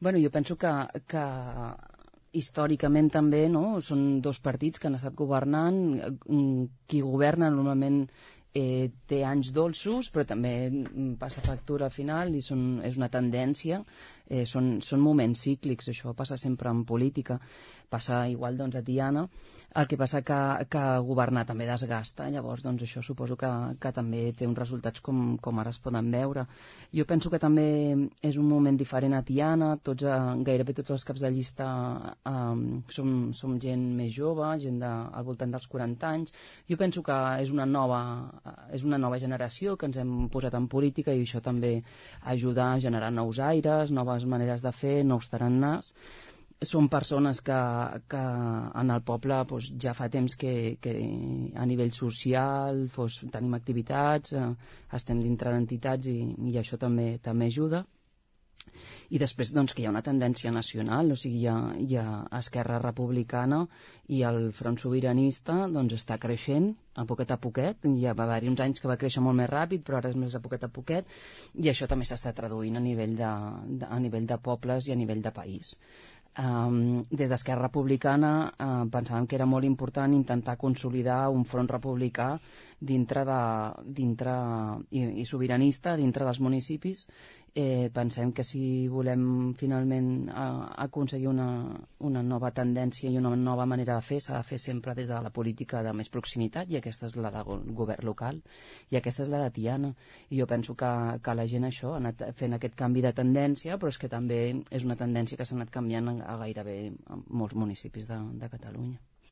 Bueno, jo penso que històricament també, no? Són dos partits que han estat governant. Qui governa normalment té anys dolços, però també passa factura al final i és una tendència, són moments cíclics, això passa sempre en política, passa igual doncs a Tiana. El que passa que governar també desgasta, llavors doncs això suposo que també té uns resultats com ara es poden veure. Jo penso que també és un moment diferent a Tiana, gairebé tots els caps de llista som gent més jove, gent al voltant dels 40 anys. Jo penso que és una nova generació que ens hem posat en política i això també ajuda a generar nous aires, noves maneres de fer, nous tarannàs. Són persones que en el poble doncs, ja fa temps que a nivell social tenim activitats, estem dintre d'entitats i això també ajuda. I després doncs, que hi ha una tendència nacional, o sigui, hi ha Esquerra Republicana i el Front Sobiranista doncs, està creixent a poquet, ja va haver-hi uns anys que va créixer molt més ràpid, però ara és més a poquet, i això també s'està traduint a nivell de pobles i a nivell de país. Des d'Esquerra Republicana pensàvem que era molt important intentar consolidar un front republicà i sobiranista dintre dels municipis. Pensem que si volem finalment aconseguir una nova tendència i una nova manera de fer, s'ha de fer sempre des de la política de més proximitat, i aquesta és la de govern local i aquesta és la de Tiana, i jo penso que la gent això ha anat fent aquest canvi de tendència, però és que també és una tendència que s'ha anat canviant a gairebé molts municipis de Catalunya.